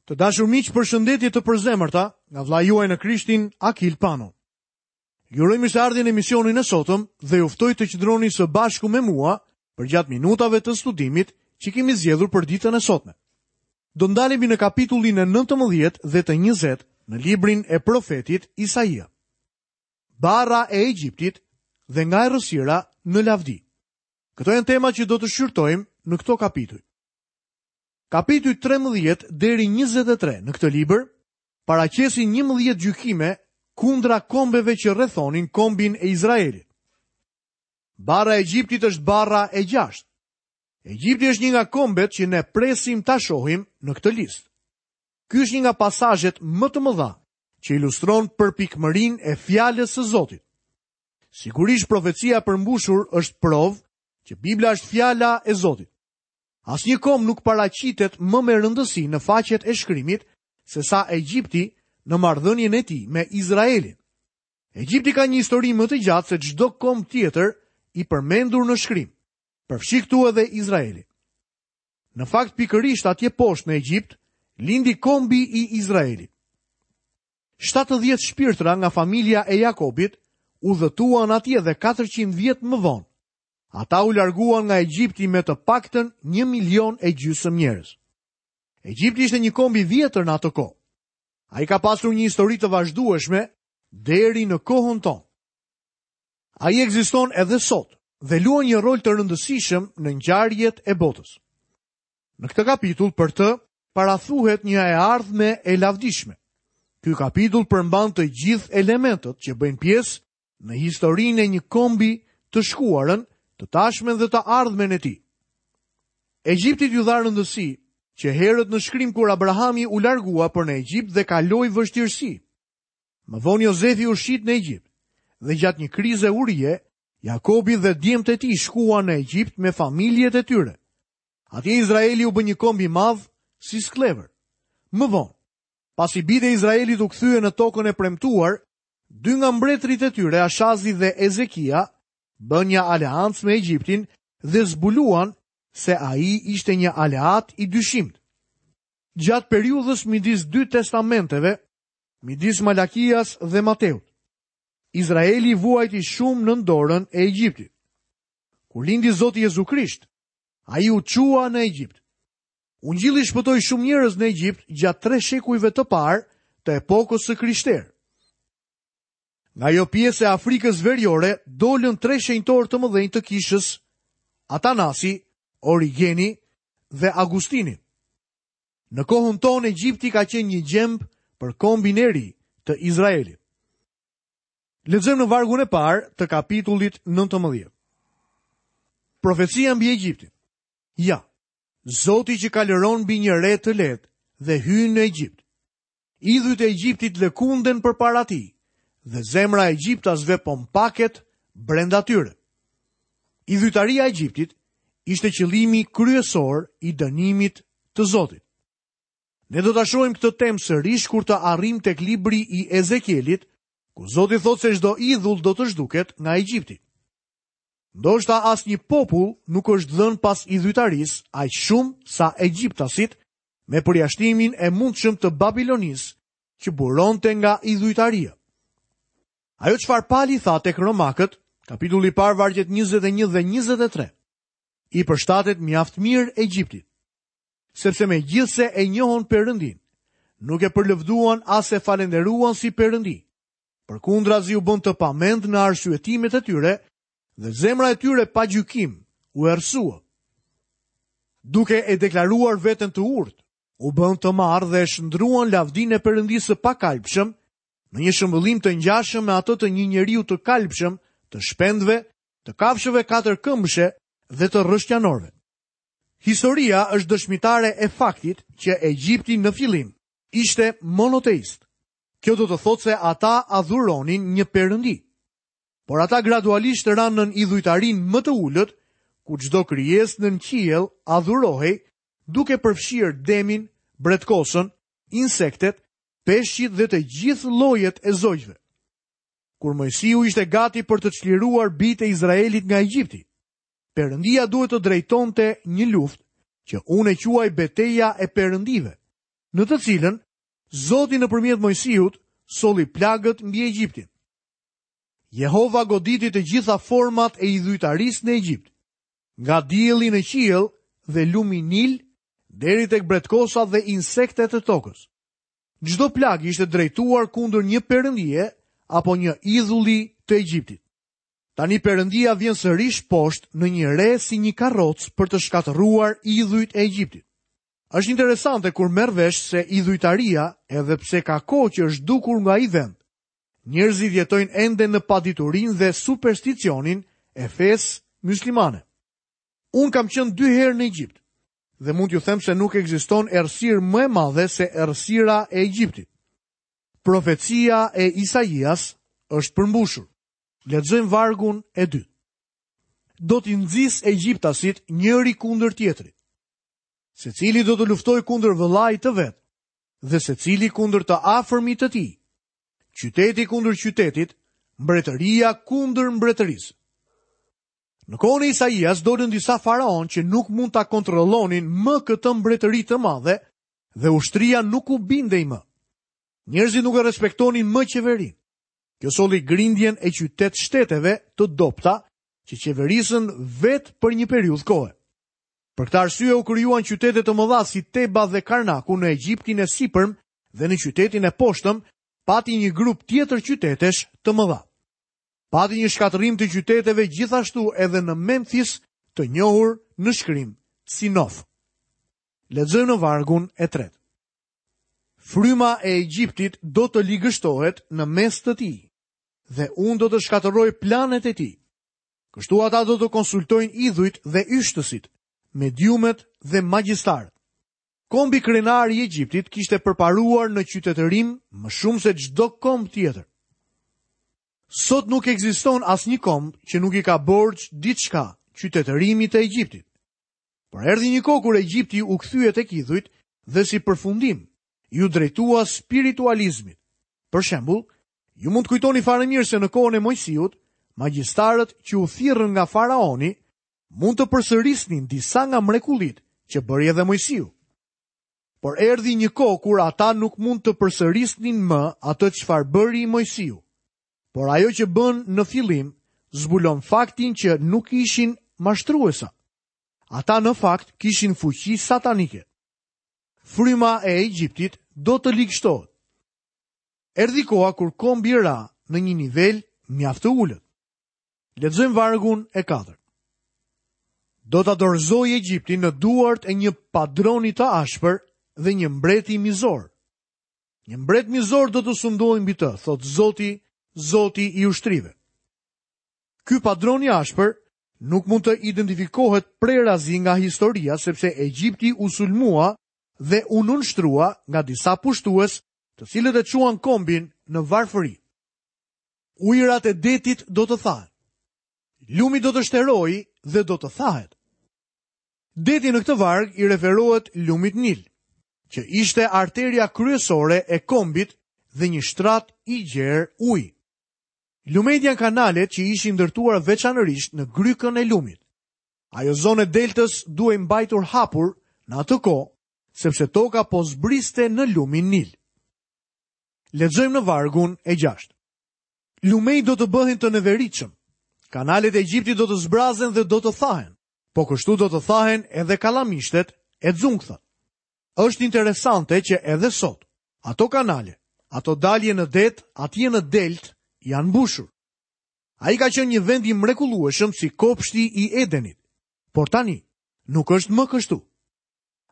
Të dashur miq, përshëndetje të përzemërta nga vëllai juaj në Krishtin Akil Pano. Ju uroj mirëseardhjen në emisionin e sotëm dhe ju ftoj të qëndroni së bashku me mua përgjatë minutave të studimit që kemi zgjedhur për ditën e sotme. Do ndalemi në kapitullin e 19 dhe të 20 në librin e profetit Isaia. Barra e Egjiptit dhe nga errësira në lavdi. Këto janë temat që do të shqyrtojmë në këto kapituj. Kapitujt 13 deri 23 në këtë libër paraqesin 11 gjykime kundra kombeve që rrethonin kombin e Izraelit. Barra e Egjiptit është barra e gjashtë. Egjipti është një nga kombet që ne presim ta shohim në këtë listë. Ky është një nga pasazhet më të mëdha që ilustron përpikmërinë e fjalës së Zotit. Sigurisht profecia e përmbushur është provë që Bibla është fjala e Zotit. Asnjë komb nuk paraqitet më me rëndësi në faqet e shkrimit sesa Egjipti në marrëdhënien e tij me Izraelin. Egjipti ka një histori më të gjatë se çdo komb tjetër i përmendur në shkrim, përfshi këtu edhe Izraelin. Në fakt pikërisht atje poshtë në Egjipt lindi kombi i Izraelit. 70 shpirtra nga familja e Jakobit udhëtuan atje dhe 400 vjet më vonë. Ata u larguan nga Egjipti me të paktën 1 milion e gjysmë njerëz. Egjipti ishte një komb i vjetër në atë kohë. Ai ka pasur një histori të vazhdueshme deri në kohën tonë. Ai ekziston edhe sot dhe luan një rol të rëndësishëm në ngjarjet e botës. Në këtë kapitull për të parathuhet një e ardhme e lavdishme. Ky kapitull përmban të gjithë elementët që bëjnë pjesë në historinë e një kombi të shkuarën, të tashmen dhe të ardhmen e tij. Egjiptit iu dha rëndësi që herët në shkrim kur Abrahami u largua për në Egjipt dhe kaloi vështirësi. Më vonë Jozefi u shit në Egjipt dhe gjatë një krize urie, Jakobi dhe djemtë e tij shkuan në Egjipt me familjet e tyre. Atje Izraeli u bë një komb i madh si skllevër. Më vonë, pasi bijtë e Izraelit u kthyen në tokën e premtuar, Dy nga mbretërit e tyre, Ashazi dhe Ezekia, bënë një aleancë me Egjiptin dhe zbuluan se ai ishte një aleat i dyshimtë. Gjatë periudhës midis dy testamenteve, midis Malakias dhe Mateut, Izraeli vuajti shumë nën dorën e Egjiptit. Kur lindi Zoti Jezu Krisht, ai u çua në Egjipt. Ungjilli shpëtoi shumë njerëz në Egjipt gjatë tre shekujve të parë të epokës së krishterë. Nga ajo pjesë e Afrikës Veriore dolën tre shenjtorë të mëdhenj të kishës, Atanasi, Origeni dhe Agustini. Në kohën tonë Egjipti ka qenë një gjemb për kombin e ri të Izraelit. Lexojmë në vargun e parë të kapitullit 19. Profecia mbi Egjiptin. Ja, Zoti që kalëron mbi një re të lehtë dhe hyn në Egjipt. Idhujt e Egjiptit lëkunden përpara tij dhe zemra e egjiptasve po mpaket brenda tyre. Idhujtaria e Egjiptit ishte qëllimi kryesor i dënimit të Zotit. Ne do ta shohim këtë temë sërish kur të arrijmë tek libri i Ezekielit, ku Zoti thotë se çdo idhull do të zhduket nga Egjipti. Ndoshta asnjë popull nuk është dhënë pas idhujtarisë aq shumë sa egjiptasit, me përjashtimin e mundshëm të Babilonisë, që buronte nga idhujtaria. Ajo çfarë Pali tha tek Romakët, kapitulli i parë vargjet 21 dhe 23, i përshtatet mjaft mirë Egjiptit. Sepse megjithëse e njohën Perëndinë, nuk e përlëvduan as e falënderuan si Perëndi, Përkundrazi u bënë të pamend në arsyetimet e tyre dhe zemra e tyre pa gjykim u errësua. Duke e deklaruar veten të urtë, u bënë të marrë dhe e shndërruan lavdinë e Perëndisë së pakalbshëm në një shëmbëllim të ngjashëm me atë të një njeriu të kalbshëm, të shpendëve, të kafshëve katërkëmbëshe dhe të rrëshqanorëve. Historia është dëshmitare e faktit që Egjipti në fillim ishte monoteist. Kjo do të thotë se ata adhuronin një perëndi. Por ata gradualisht ranë nën idhujtarinë më të ulët, ku çdo krijesë nën qiell adhurohej, duke përfshirë demin, bretkosën, insektet, peshqit dhe të gjithë llojet e zogjve. Kur Moisiu ishte gati për të çliruar bijtë e Izraelit nga Egjipti, Perëndia duhet të drejtonte një luftë që unë e quaj beteja e perëndive. në të cilën Zoti nëpërmjet Moisiut solli plagët mbi Egjiptin. Jehova goditi të gjitha format e idhujtarisë në Egjipt, nga dielli në qiell dhe lumi Nil deri tek bretkosat dhe insektet e tokës. Çdo plagë ishte drejtuar kundër një perëndie apo një idhulli të Egjiptit. Tani perëndia vjen sërish poshtë në një re si një karrocë për të shkatërruar idhujt e Egjiptit. Është interesante kur merr vesh se idhujtaria, edhe pse ka kohë që është zhdukur nga ai vend, njerëzit jetojnë ende në paditurinë dhe supersticionin e fesë myslimane. Unë kam qenë dy herë në Egjipt dhe mund t'ju them se nuk ekziston errësirë më e madhe se errësira e Egjiptit. Profecia e Isaias është përmbushur. Lexojmë vargun e dytë. Do t'i nxis egjiptasit njëri kundër tjetrit. Secili do të luftojë kundër vëllait të vet dhe secili kundër të afërmit të tij. Qyteti kundër qytetit, mbretëria kundër mbretërisë. Në kohën e Isaias dolën disa faraonë që nuk mund ta kontrollonin më këtë mbretëri të madhe dhe ushtria nuk u bindej më. Njerëzit nuk e respektonin më qeverinë. Kjo solli grindjen e qytet-shteteve të dobëta që qeverisën vetë për një periudhë kohe. Për këtë arsye u krijuan qytete të mëdha si Teba dhe Karnaku në Egjiptin e Sipërm dhe në qytetin e Poshtëm pati një grup tjetër qytetesh të mëdha. Pati një shkatërrim të qyteteve gjithashtu edhe në Memfis të njohur në shkrim si Nof. Lexojmë në vargun e tretë. Fryma e Egjiptit do të ligështohet në mes të tij dhe unë do të shkatërroj planet e tij. Kështu ata do të konsultojnë idhujt dhe yshtësit, mediumet dhe magjistarët. Kombi krenar i Egjiptit kishte përparuar në qytetërim më shumë se çdo komb tjetër. Sot nuk ekziston asnjë komb që nuk i ka borxh diçka qytetërimit të Egjiptit. Por erdhi një kohë kur Egjipti u kthye tek idhujt dhe si përfundim iu drejtua spiritualizmit. Për shembull, ju mund të kujtoni fare mirë se në kohën e Moisiut, magjistarët që u thirrën nga faraoni mund të përsërisnin disa nga mrekullitë që bëri edhe Moisiu. Por erdhi një kohë kur ata nuk mund të përsërisnin më atë çfarë bëri Moisiu. Por ajo që bënë në fillim zbulon faktin që nuk ishin mashtruesa. Ata në fakt kishin fuqi satanike. Fryma e Egjiptit do të ligështohet. Erdhi koha kur kombi ra në një nivel mjaft të ulët. Lexojmë vargun e katërt. Do ta dorëzoj Egjiptin në duart e një padroni të ashpër dhe një mbreti mizor. Një mbret mizor do të sundojë mbi të, thotë Zoti, Zoti i ushtrive. Ky padron i ashpër nuk mund të identifikohet prerazi nga historia sepse Egjipti u sulmua dhe u nënshtrua nga disa pushtues, të cilët e çuan kombin në varfëri. Ujërat e detit do të thahen. Lumi do të shterojë dhe do të thahet. Deti në këtë varg i referohet lumit Nil, që ishte arteria kryesore e kombit dhe një shtrat i gjerë uji. Lumenjtë janë kanalet që ishin ndërtuar veçanërisht në grykën e lumit. Ajo zonë e deltës duhej mbajtur hapur në atë kohë, sepse toka po zbriste në lumin Nil. Lexojmë në vargun e gjashtë. Lumenjtë do të bëhen të neveritshëm. Kanalet e Egjiptit do të zbrazen dhe do të thahen. Po kështu do të thahen edhe kallamishtet e xunkthat. Është interesante që edhe sot, ato kanale, ato dalje në det, atje në deltë, janë mbushur. Ai ka qenë një vend i mrekullueshëm si kopshti i Edenit, por tani nuk është më kështu.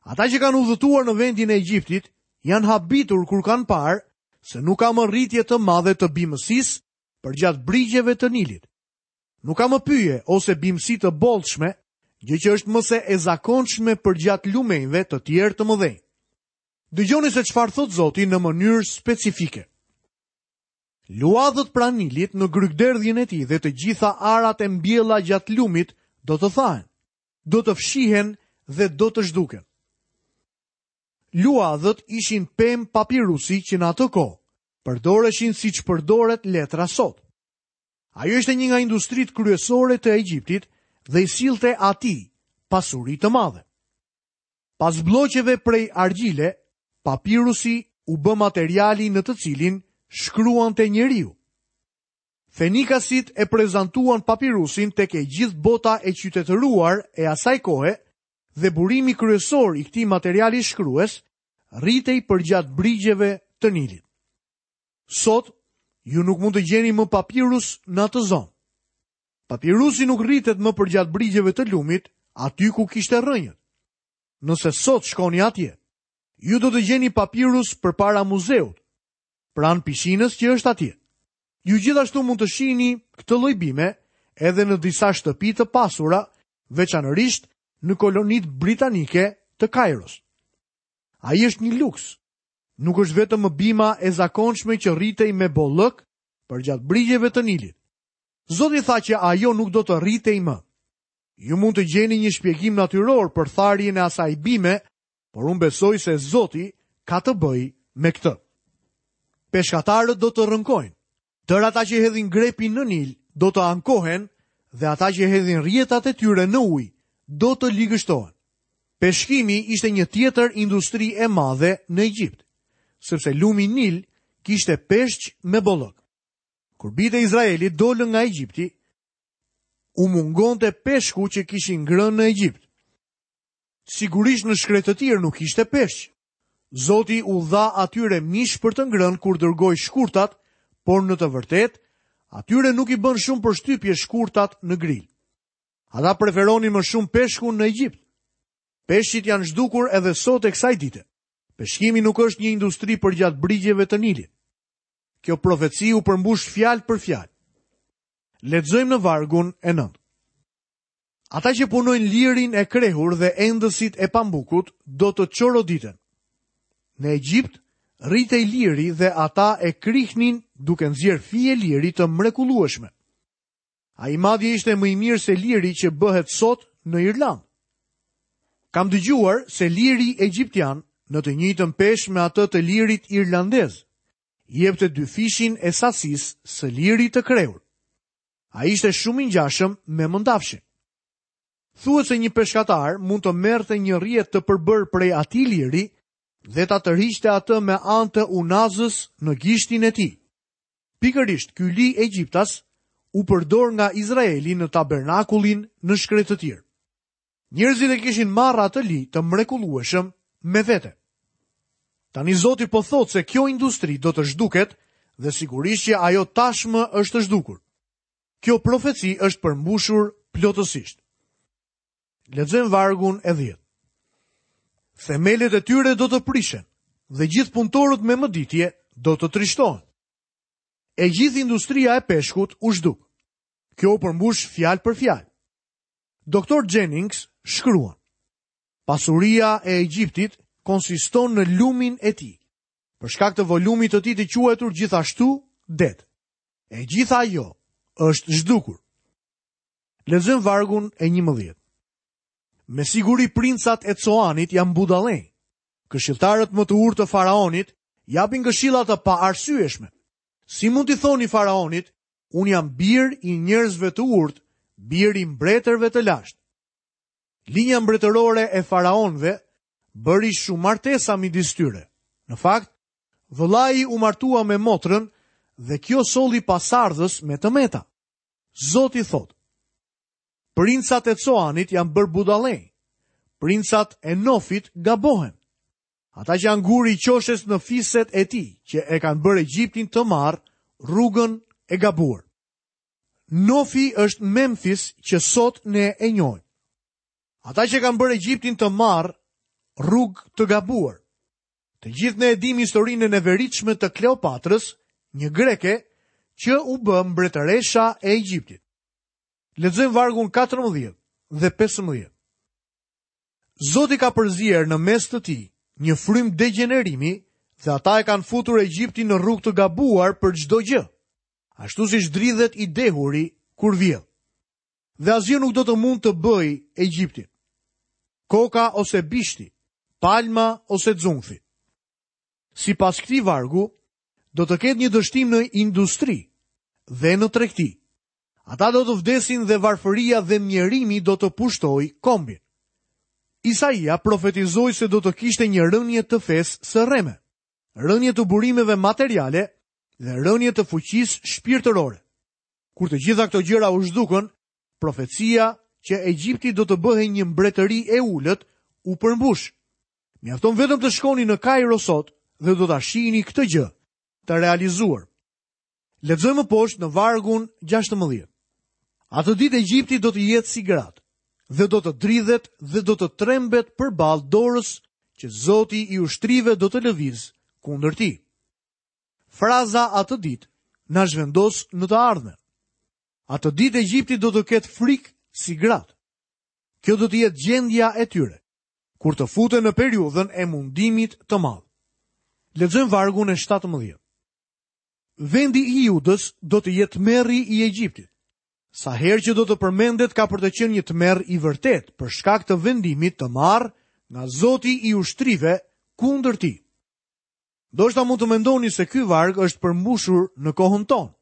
Ata që kanë udhëtuar në vendin e Egjiptit janë habitur kur kanë parë se nuk ka më rritje të madhe të bimësisë përgjatë brigjeve të Nilit. Nuk ka më pyje ose bimësi të bollshme, gjë që është më se e zakonshme përgjatë lumenjve të tjerë të mëdhenj. Dëgjoni se çfarë thotë Zoti në mënyrë specifike. Luadhët pranë Nilit në grykëderdhjen e tij dhe të gjitha arat e mbjella gjatë lumit do të thahen, do të fshihen dhe do të zhduken. Luadhët ishin pemë papirusi që në atë kohë përdoreshin siç përdoret letra sot. Ajo ishte një nga industritë kryesore të Egjiptit dhe i sillte atij pasuri të madhe. Pas blloqeve prej argjile, Papirusi u bë materiali në të cilin shkruante njeriu. Fenikasit e prezantuan papirusin tek e gjithë bota e qytetëruar e asaj kohe dhe burimi kryesor i këtij materiali shkrues rritej përgjatë brigjeve të Nilit. Sot, ju nuk mund të gjeni më papirus në atë zonë. Papirusi nuk rritet më përgjatë brigjeve të lumit, aty ku kishte rrënjët. Nëse sot shkoni atje, ju do të gjeni papirus përpara muzeut, pranë pishinës që është atje. Ju gjithashtu mund të shihni këtë lloj bime edhe në disa shtëpi të pasura, veçanërisht në kolonitë britanike të Kajros. Ai është një luks. Nuk është vetëm më bima e zakonshme që rritej me bollëk përgjatë brigjeve të Nilit. Zoti tha që ajo nuk do të rritej më. Ju mund të gjeni një shpjegim natyror për tharjen e asaj bime, por unë besoj se Zoti ka të bëjë me këtë. Peshkatarët do të rënkojnë. Tërë ata që hedhin grepin në Nil do të ankohen dhe ata që hedhin rrjetat e tyre në ujë do të ligështohen. Peshkimi ishte një tjetër industri e madhe në Egjipt, sepse lumi Nil kishte peshq me bollëk. Kur bijtë e Izraelit dolën nga Egjipti, u mungonte peshku që kishin ngrënë në Egjipt. Sigurisht në shkretëtirë nuk kishte peshq. Zoti u dha atyre mish për të ngrënë kur dërgoi shkurtat, por në të vërtetë, atyre nuk i bënë shumë përshtypje shkurtat në grilë. Ata preferonin më shumë peshkun në Egjipt. Peshqit janë zhdukur edhe sot e kësaj dite. Peshkimi nuk është një industri përgjatë brigjeve të Nilit. Kjo profeci u përmbush fjalë për fjalë. Lexojmë në vargun e 9. Ata që punojnë lirin e krehur dhe endësit e pambukut do të çoroditen. Në Egjipt rritej liri dhe ata e krihnin duke nxjerrë fije liri të mrekullueshme. Ai madje ishte më i mirë se liri që bëhet sot në Irlandë. Kam dëgjuar se liri egjiptian në të njëjtën peshë me atë të lirit irlandez, jepte dyfishin e sasisë së lirit të krehur. Ai ishte shumë i ngjashëm me mëndafshin. Thuhet se një peshkatar mund të merrte një rrjetë të përbërë prej atij liri dhe ta tërhiqte atë me anë të unazës në gishtin e tij. Pikërisht ky li egjiptas u përdor nga Izraeli në tabernakullin në shkretëtirë. Njerëzit e kishin marrë atë li të mrekullueshëm me vete. Tani Zoti po thotë se kjo industri do të zhduket dhe sigurisht që ajo tashmë është zhdukur. Kjo profeci është përmbushur plotësisht. Lexojmë vargun e 10. Themelet e tyre do të prishen dhe gjithë punëtorët me mëditje do të trishtohen. E gjithë industria e peshkut u zhduk. Kjo u përmbush fjalë për fjalë. Doktor Jennings shkruan: Pasuria e Egjiptit konsiston në lumin e tij, për shkak të volumit të tij të quajtur gjithashtu det. E gjitha ajo është zhdukur. Lexojmë vargun e 11. Me siguri princat e Coanit janë budallenj. Këshilltarët më të urtë të faraonit japin këshilla të paarsyeshme. Si mund t'i thoni faraonit, Unë jam bir i njerëzve të urtë, bir i mbretërve të lashtë. Linja mbretërore e faraonëve bëri shumë martesa midis tyre. Në fakt, vëllai u martua me motrën dhe kjo solli pasardhës me të meta. Zoti thotë: Princat e Coanit janë bërë budallenj. Princat e Nofit gabohen. Ata që janë guri i qoshes në fiset e tij, që e kanë bërë Egjiptin të marrë rrugën e gabuar. Nofi është Memfis që sot ne e njohim. Ata që kanë bërë Egjiptin të marrë rrugë të gabuar. Të gjithë ne e dimë historinë e neveritshme të Kleopatrës, një greke që u bë mbretëresha e Egjiptit. Lexojmë vargun 14 dhe 15. Zoti ka përzier në mes të tij një frymë degjenerimi dhe ata e kanë futur Egjiptin në rrugë të gabuar për çdo gjë, ashtu siç dridhet i dehuri kur vjell. Dhe asgjë nuk do të mund të bëjë Egjiptin. Koka ose bishti, palma ose xunkthi. Sipas këtij vargu, do të ketë një dështim në industri dhe në tregti. Ata do të vdesin dhe varfëria dhe mjerimi do të pushtojë kombin. Isaia profetizoi se do të kishte një rënie të fesë së rreme, rënie të burimeve materiale dhe rënie të fuqisë shpirtërore. Kur të gjitha këto gjëra u zhdukën, profecia që Egjipti do të bëhej një mbretëri e ulët u përmbush. Mjafton vetëm të shkoni në Kairo sot dhe do ta shihni këtë gjë të realizuar. Lexojmë më poshtë në vargun 16. Atë ditë Egjipti do të jetë si gratë dhe do të dridhet dhe do të trembet përballë dorës që Zoti i ushtrive do të lëvizë kundër tij. Fraza atë ditë na zhvendos në të ardhmen. Atë ditë Egjipti do të ketë frikë si gratë. Kjo do të jetë gjendja e tyre kur të futen në periudhën e mundimit të madh. Lexojmë vargun e 17. Vendi i Judës do të jetë tmerri i Egjiptit. Sa herë që do të përmendet ka për të qenë një tmerr i vërtetë për shkak të vendimit të marrë nga Zoti i ushtrive kundër tij. Ndoshta mund të mendoni se ky varg është përmbushur në kohën tonë.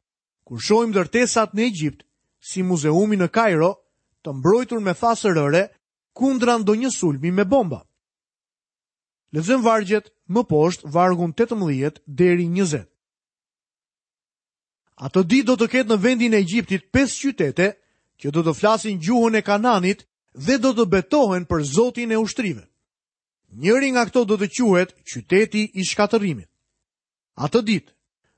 Kur shohim ndërtesat në Egjipt, si muzeumi në Kairo, të mbrojtur me thasë rëre kundra ndonjë sulmi me bomba. Lexojmë vargjet më poshtë, vargun 18 deri 20. Atë ditë do të ketë në vendin e Egjiptit pesë qytete që do të flasin gjuhën e Kananit dhe do të betohen për Zotin e ushtrive. Njëri nga këto do të quhet qyteti i shkatërrimit. Atë ditë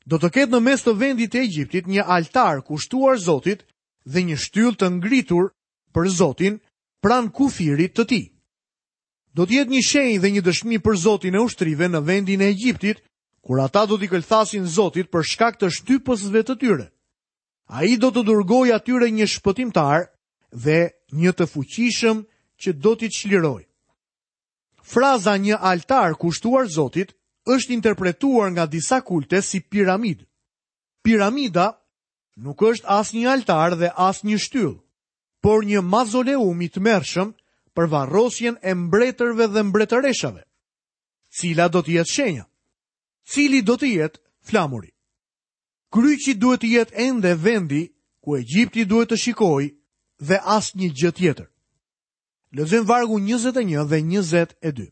do të ketë në mes të vendit të Egjiptit një altar kushtuar Zotit dhe një shtyllë të ngritur për Zotin pranë kufirit të tij. Do të jetë një shenjë dhe një dëshmi për Zotin e ushtrive në vendin e Egjiptit, kur ata do t'i këlthasin Zotit për shkak të shtypësve të tyre. Ai do t'u dërgojë atyre një shpëtimtar dhe një të fuqishëm që do t'i çlirojë. Fraza një altar kushtuar Zotit është interpretuar nga disa kulte si piramidë. Piramida nuk është as një altar dhe as një shtyllë, por një mazoleum i tmerrshëm për varrosjen e mbretërve dhe mbretëreshave. Cila do të jetë shenja? Cili do të jetë flamuri? Kryqi duhet të jetë ende vendi ku Egjipti duhet të shikojë dhe asnjë gjë tjetër. Lexojmë vargun 21 dhe 22.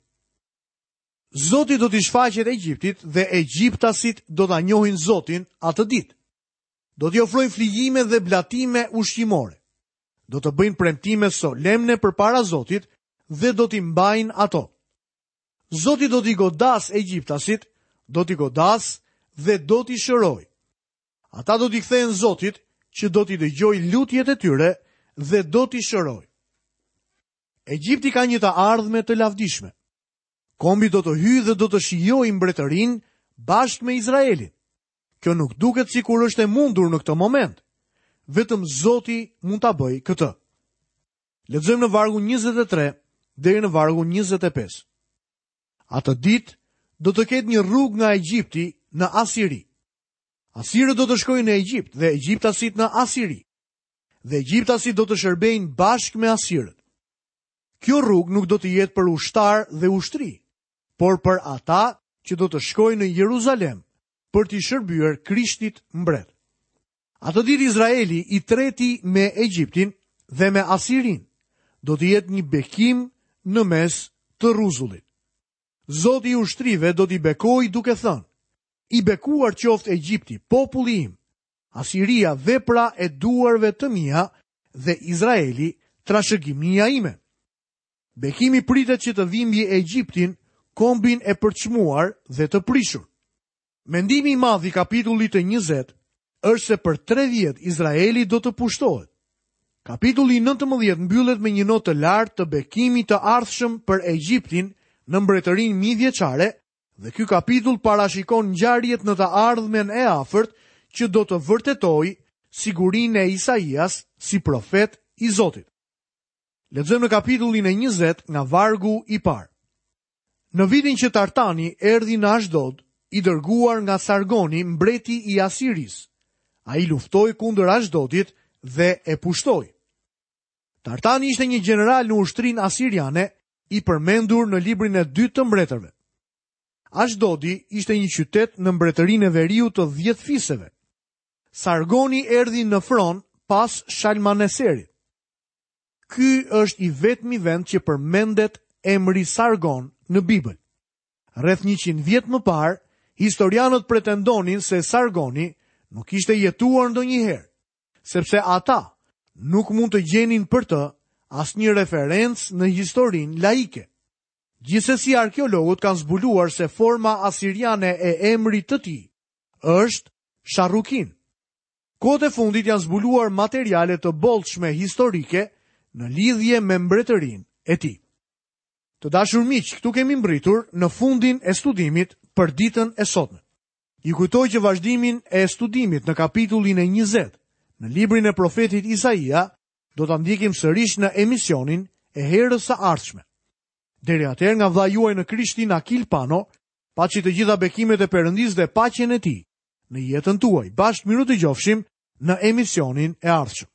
Zoti do t'i shfaqet Egjiptit dhe egjiptasit do ta njohin Zotin atë ditë. Do t'i ofrojnë flijime dhe blatime ushqimore. Do të bëjnë premtime solemne përpara Zotit dhe do t'i mbajnë ato. Zoti do t'i godasë egjiptasit, do t'i godasë dhe do t'i shërojë. Ata do t'i kthehen Zotit që do t'i dëgjojë lutjet e tyre dhe do t'i shërojë. Egjipti ka një të ardhme të lavdishme. Kombi do të hyjë dhe do të shijojë mbretërinë bashkë me Izraelin. Kjo nuk duket sikur është e mundur në këtë moment. Vetëm Zoti mund ta bëjë këtë. Lexojmë në vargun 23 deri në vargun 25. Atë ditë do të ketë një rrugë nga Egjipti në Asiri. Asirët do të shkojnë në Egjipt dhe egjiptasit në Asiri. Dhe egjiptasit do të shërbejnë bashkë me asirët. Kjo rrugë nuk do të jetë për ushtarë dhe ushtri, por për ata që do të shkojnë në Jeruzalem për t'i shërbyer Krishtit mbret. Atë ditë Izraeli i treti me Egjiptin dhe me Asirinë do të jetë një bekim në mes të rruzullit. Zoti i ushtrive do t'i bekojë duke thënë, i bekuar qoftë Egjipti, populli im, Asiria vepra e duarve të mia dhe Izraeli trashëgimia ime. Bekimi pritet që të vijë mbi Egjiptin, kombin e përçmuar dhe të prishur. Mendimi i madh i kapitullit të 20 është se për 3 vjet Izraeli do të pushtohet. Kapitulli 19 mbyllet me një notë të lartë të bekimit të ardhshëm për Egjiptin në mbretërinë mijëvjeçare dhe ky kapitull parashikon ngjarjet në të ardhmen e afërt që do të vërtetojë sigurinë e Isaias si profet i Zotit. Lexojmë në kapitullin e 20 nga vargu i parë. Në vitin që Tartani erdhi në Ashdod, i dërguar nga Sargoni, mbreti i Asirisë, ai luftoi kundër Ashdodit dhe e pushtoi. Tartani ishte një gjeneral në ushtrinë asiriane, i përmendur në librin e dytë të mbretërve. Ashdodi ishte një qytet në mbretërinë e veriut të 10 fiseve. Sargoni erdhi në fron pas Shalmaneserit. Ky është i vetmi vend që përmendet emri Sargon në Bibël. Rreth 100 vjet më parë, historianët pretendonin se Sargoni nuk kishte jetuar ndonjëherë, sepse ata nuk mund të gjenin për të asnjë referencë në historinë laike. Gjithsesi arkeologët kanë zbuluar se forma asiriane e emrit të tij është Sharrukin. Kohët e fundit janë zbuluar materiale të bollshme historike në lidhje me mbretërinë e tij. Të dashur miq, këtu kemi mbërritur në fundin e studimit për ditën e sotme. Ju kujtoj që vazhdimin e studimit në kapitullin e 20, në librin e profetit Isaia, do ta ndjekim sërish në emisionin e herës së ardhshme. Deri atëherë nga vëllai juaj në Krishtin Akil Pano, paçi të gjitha bekimet e Perëndisë dhe paqen e tij në jetën tuaj. Bashkë mirudëgjofshim në emisionin e ardhshëm.